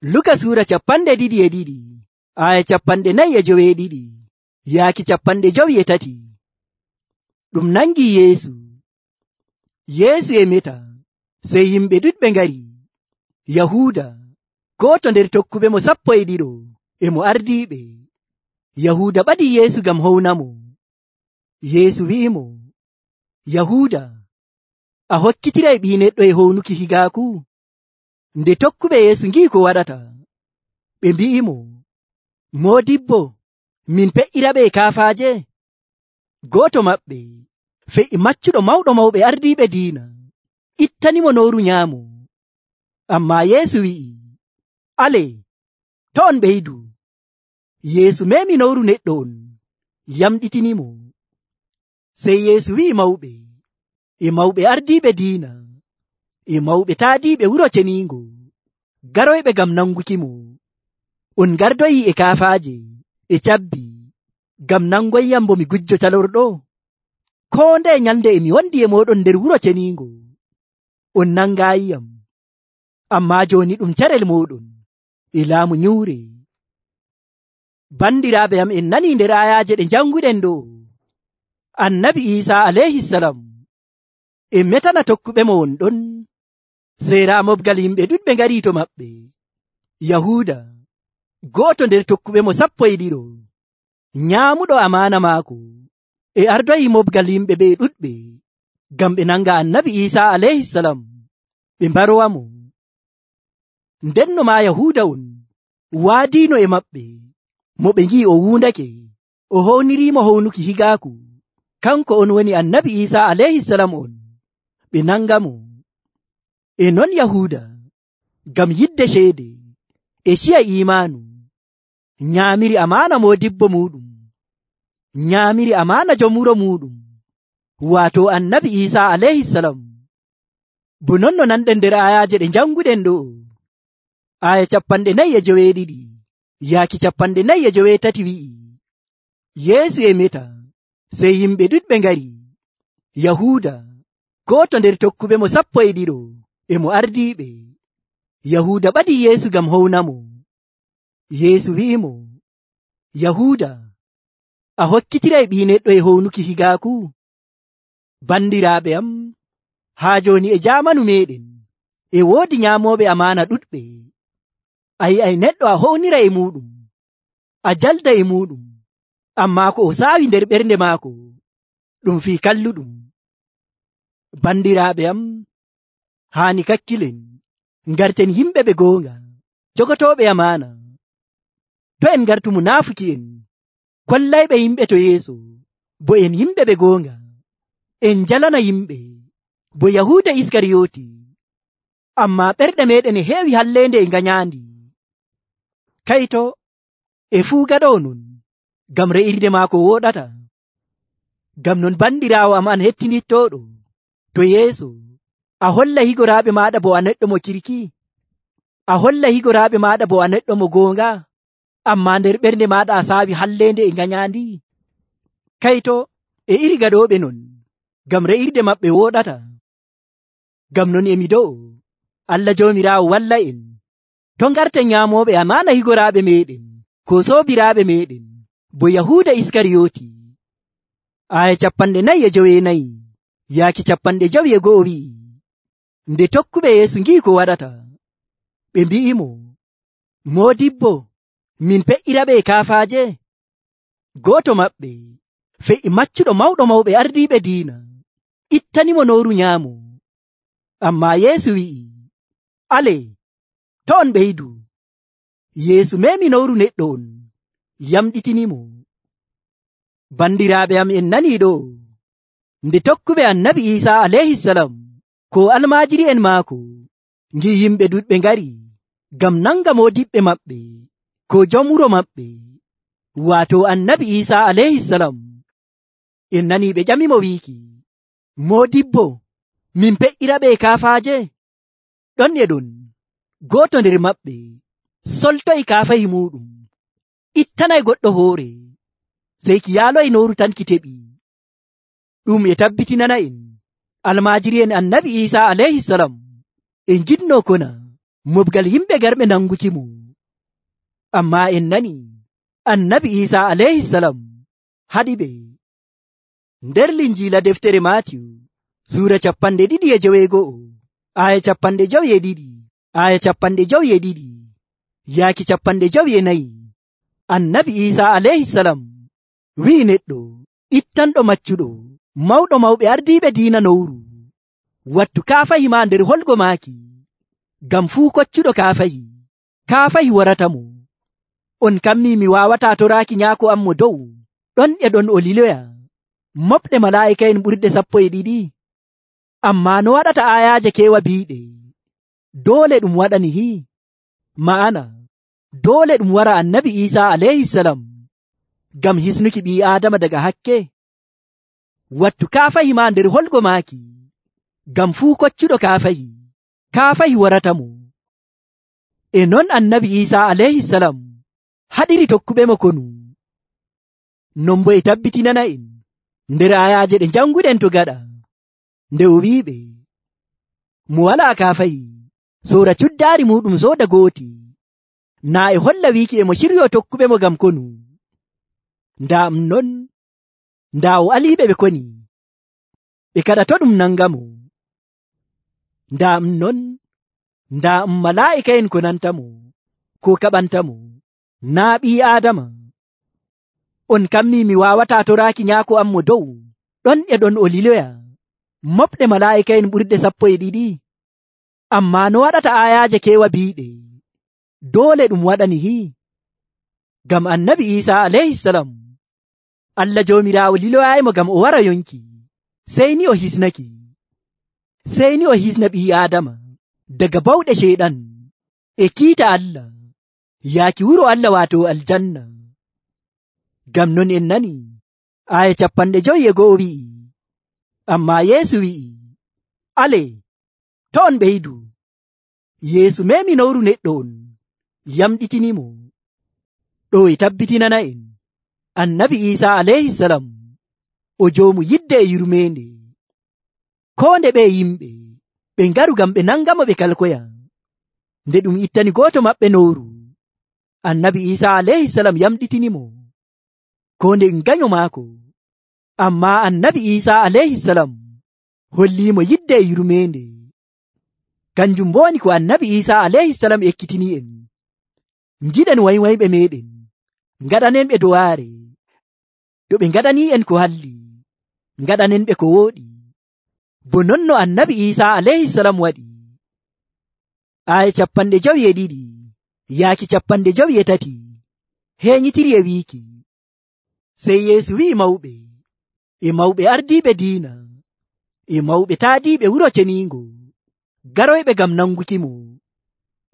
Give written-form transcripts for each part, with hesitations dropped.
Luka suura 22 aya 42 yaaki 53. Ɗum nangi Yeesu e meta, sey yimɓe ɗuɗɓe ngari. Yahuuda, gooto nder tokkuɓe mo 12 e mo ardiiɓe. Yahuuda ɓadi Yeesu ngam hownamo. Yeesu wi'imo, Yahuuda, a hokkitiray ɓii neɗɗo e hownuki higaaku? Nde tokkuɓe Yeesu ngi'i ko waɗata, ɓe mbi'imo, Moodibbo, min pe'iraɓe e kaafaaje? Gooto maɓɓe, fe'i maccuɗo mawɗo mawɓe ardiiɓe diina, ittanimo nooru nyaamo. Ammaa Yeesu wi'i, alee, to' on ɓeydu. Yeesu meemi nooru neɗɗo on, yamɗitinimo. Sey Yeesu wi'i mawɓe, e mawɓe ardiiɓe diina, e mawɓe taadiiɓe wuro ceniingo, garoyɓe ngam nangukimo. On gardoyi e kaafaaje e cabbi ngam nangoyyam bo mi gujjo calorɗo? Koo ndeye nyalnde e mi wondi e mooɗon nder wuro ceniingo, on nangaayiyam. Ammaa jooni ɗum carel mooɗon e laamu nyuure. Bandiraaɓe am, en nanii nder ayaaje ɗe janguɗen ɗo, Annabi Iisaa alayhisalam e metana tokkuɓe mo won ɗon. Sey raa mobgal yimɓe ɗuɗɓe ngarii to maɓɓe. Yahuuda, gooto nder tokkuɓe mo 12, nyaamuɗo amaana maako, e ardoyi mobgal yimɓe ɓe ɗuɗɓe ngam ɓe nanga Annabi Iisaa alayhisalam ɓe mbarowamo. Ndenno maa Yahuuda on waadiino e maɓɓe mo ɓe ngi'i o wuundake, o howniriimo hownuki higaaku, kanko on woni Annabi Iisaa alayhisalam on, ɓe nangamo. E non Yahuuda, ngam yidde ceede e ciya iimaanu, nyaamiri amaana moodibbo muuɗum, nyaamiri amaana jom wuro muuɗum, waato Annabi Iisaa alayhisalam. Bo non no nanɗen nder ayaaje ɗe janguɗen ɗo, aya 49 yaaki 53 wi'i, Yeesu e meta, sey yimɓe ɗuɗɓe ngari. Yahuuda, gooto nder tokkuɓe mo 12 e mo ardiiɓe. Yahuuda ɓadi Yeesu ngam hownamo. Yeesu wi'imo, Yahuuda, a hokkitiray ɓii neɗɗo e hownuki higaaku? Bandiraaɓe am, haa jooni e jaamanu meeɗen e woodi nyaamooɓe amaana ɗuɗɓe. A yi'ay neɗɗo a hownira e muuɗum, a jalda e muuɗum, ammaa ko o saawi nder ɓernde maako ɗum fii kalluɗum. Bandiraaɓe am, haani kakkilen, ngarten yimɓe ɓe goonga, jogotooɓe amaana. To en ngartu munaafuki'en, kollayɓe yimɓe to yeeso, bo en yimɓe ɓe goonga, en jalana yimɓe, bo Yahuuda Iskariyooti, ammaa ɓerɗe meeɗen e heewi halleende e nganyaandi. Kayto e fuu gaɗoo non, ngam re'irde maako wooɗata. Ngam non bandiraawo am an hettinittooɗo, to yeeso, a holla higoraaɓe maaɗa bo a neɗɗo mo kirki, a holla higoraaɓe maaɗa bo a neɗɗo mo goonga, ammaa nder ɓernde maaɗa a saawi halleende e nganyaandi. Kayto e iri gaɗooɓe non, ngam re'irde maɓɓe wooɗata. Ngam non emi do'o, Allah Joomiraawo walla en, to ngarten nyaamooɓe amaana higoraaɓe meeɗen, ko soobiraaɓe meeɗen, bo Yahuuda Iskariyooti. Aya 49 yaaki 51 wi'i, nde tokkuɓe Yeesu ngi'i ko waɗata, ɓe mbi'imo, Moodibbo, min pe'iraɓe e kaafaaje? Gooto maɓɓe, fe'i maccuɗo mawɗo mawɓe ardiiɓe diina, ittanimo nooru nyaamo. Ammaa Yeesu wi'i, alee, to' on ɓeydu. Yeesu meemi nooru neɗɗo on, yamɗitinimo. Bandiraaɓe am, en nanii ɗo, nde tokkuɓe Annabi Iisaa alayhisalam ko almaajiri'en maako ngi'i yimɓe ɗuɗɓe ngari ngam nanga moodiɓɓe maɓɓe, ko jom wuro maɓɓe, waato Annabi Iisaa alayhisalam, en nanii ɓe ƴamimo wiiki, Moodibbo, min pe'iraɓe e kaafaaje? Ɗon e ɗon, gooto nder maɓɓe soltoyi kaafahi muuɗum, ittanay goɗɗo hoore, sey ki yaaloyi nooru tan ki teɓi. Ɗum e tabbitinana en almaajiri'en Annabi Iisaa alayhisalam e njiɗnoo kona mobgal yimɓe garɓe nangukimo. Ammaa en nani annabi Iisaa alayhisalam haɗiɓe. Nder linjiila deftere Maatiyu suura 2:51 aya 52 aya 52 yaaki 54 annabi Iisaa alayhisalam wi'i neɗɗo ittanɗo maccuɗo mawɗo mawɓe ardiiɓe diina nowru wattu kaafahi ma nder holgo maaki, ngam fuu koccuɗo kaafahi waratamo. On kammi mi waawataa toraaki nyaako am mo dow ɗon e ɗon o liloya moɓɗe malaa'ika'en ɓurɗe 12. Ammaa no waɗata aayaaje keewa biiɗe doole ɗum waɗani hi ma'ana doole ɗum wara annabi Iisaa alayhisalam ngam hisnuki ɓii aadama daga hakke. Wattu kaafahi ma nder holgo maaki, ngam fuu koccuɗo kaafahi waratamo. E non annabi Iisaa alayhisalam haɗiri tokkuɓe mo konu. Non bo e tabbitinana en nder ayaaje ɗe janguɗen to gaɗa nde o wi'iɓe mo walaa kaafahi soora cuddaari muɗum sooda gooti, naa e holla wiiki e mo ciryo tokkuɓe mo ngam konu. Ndaa o aliiɓe ɓe koni ɓe kada to ɗum nangamo. Ndaa malaa'ika'en ko nantamo ko kaɓantamo, naa ɓii aadama. On kammi mi waawataa toraaki nyaako am mo dow ɗon e ɗon o liloya moɓɗe malaa'ika'en ɓurɗe 12. Ammaa no waɗata aayaaje keewa biiɗe doole ɗum waɗani hi ngam annabi Iisaa alayhisalam Allah Joomiraawo liloyaayimo ngam o wara yonki, sey ni o hisna ɓii aadama daga bawɗe ceyɗan e kiita Allah yaaki wuro Allah waato aljanna. Ngam non en nani aya 51 wi'i, ammaa Yeesu wi'i, ale to on ɓeydu. Yeesu memi nowru neɗɗo on yamɗitinimo. Ɗo e tabbitinana en annabi Iisaa alayhisalam o joomu yidde e yurmeende. Koo nde ɓe yimɓe ɓe ngaru ngam ɓe nangamo ɓe kalkoya. Nde ɗum ittani gooto maɓɓe nowru, annabi Iisaa alayhisalam yamɗitinimo ko nde ngaño maako. Ammaa annabi Iisaa alayhisalam holliimo yidde e yurmeende. Kanjum woni ko annabi Iisaa alayhisalam ekkitini en. Ngiɗen waywayɓe meɗen ngaɗanen ɓe dowaare. To ɓe ngaɗani en ko halli, ngaɗanen ɓe ko wooɗi, bo non no annabi Iisaa alayhisalam waɗi. Aya 52 yaaki 53 heeñitiri e wiiki, sey Yeesu wi'i mawɓe ardiiɓe diina e mawɓe taadiiɓe wuro ceniingo garoyɓe ngam nangukimo,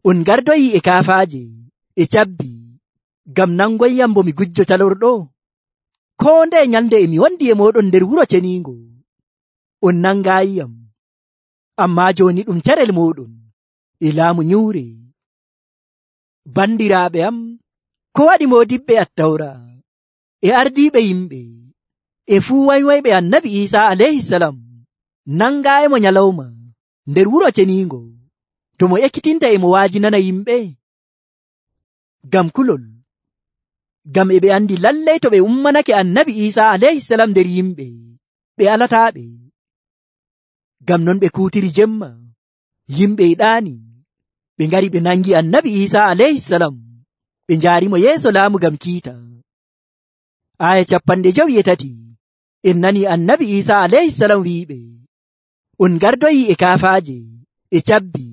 on gardoyi e kaafaaje e cabbi ngam nangoyyam bo mi gujjo talorɗo. Koo nde nyalnde e mi wondi e mooɗon nder wuro ceniingo, on nangaayiyam. Ammaa jooni ɗum carel mooɗon e laamu nyuure. Bandiraaɓe am, ko waɗi moodiɓɓe Attawra e ardiiɓe yimɓe e fuu waywayɓe annabi Iisaa alayhisalam nangaayimo nyalawma nder wuro ceniingo to mo ekkitinta e mo waajinana yimɓe? Ngam kulol, ngam e ɓe andi lallay to ɓe ummanake annabi Iisaa alayhisalam nder yimɓe ɓe alataaɓe. Ngam non ɓe kuutiri jemma, yimɓe e ɗaani, ɓe ngari ɓe nangi annabi Iisaa alayhisalam ɓe njaarimo yeeso laamu ngam kiita. Aya 53 en nani annabi Iisaa alayhisalam wi'iɓe, on gardoyi e kaafaaje e cabbi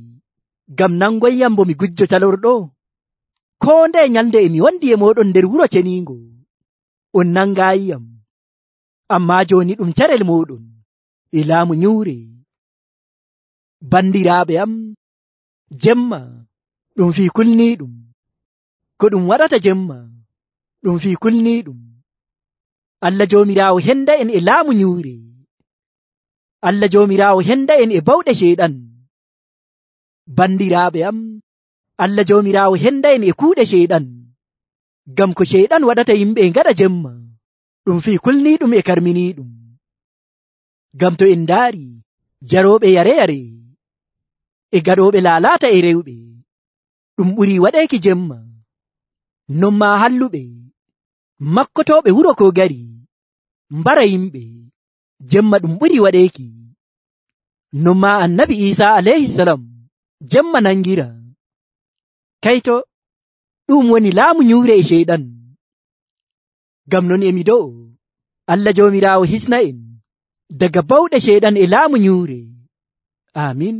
ngam nangoyyam bo mi gujjo talorɗo. Koo nde nyalnde e mi wondi e mooɗon nder wuro ceniingo, on nangaayiyam. Ammaa jooni ɗum carel mooɗon e laamu nyuure. Bandiraaɓe am, jemma ɗum fii kulniiɗum. Ko ɗum waɗata jemma ɗum fii kulniiɗum. Allah Joomiraawo henda en e laamu nyuure. Allah Joomiraawo henda en e bawɗe ceyɗan. Bandiraaɓe am, Allah Joomiraawo henda en e kuuɗe ceyɗan. Ngam ko ceyɗan waɗata yimɓe ngaɗa jemma ɗum fii kulniiɗum e karminiiɗum. Ngam to en ndaari jarooɓe yare-yare e gaɗooɓe laalaata e rewɓe ɗum ɓuri waɗeki jemma. Non maa halluɓe makkotoɓe wuro ko gari mbara yimɓe jemma ɗum ɓuri waɗeki. Non maa annabi Isa alayhisalam jemma nangira. Kaito ɗum woni laamu nyuure e sheyɗan. Ngam non emi do'o Allah joomiraawo hisna en daga bawɗe sheyɗan e laamu nyuure. Amin.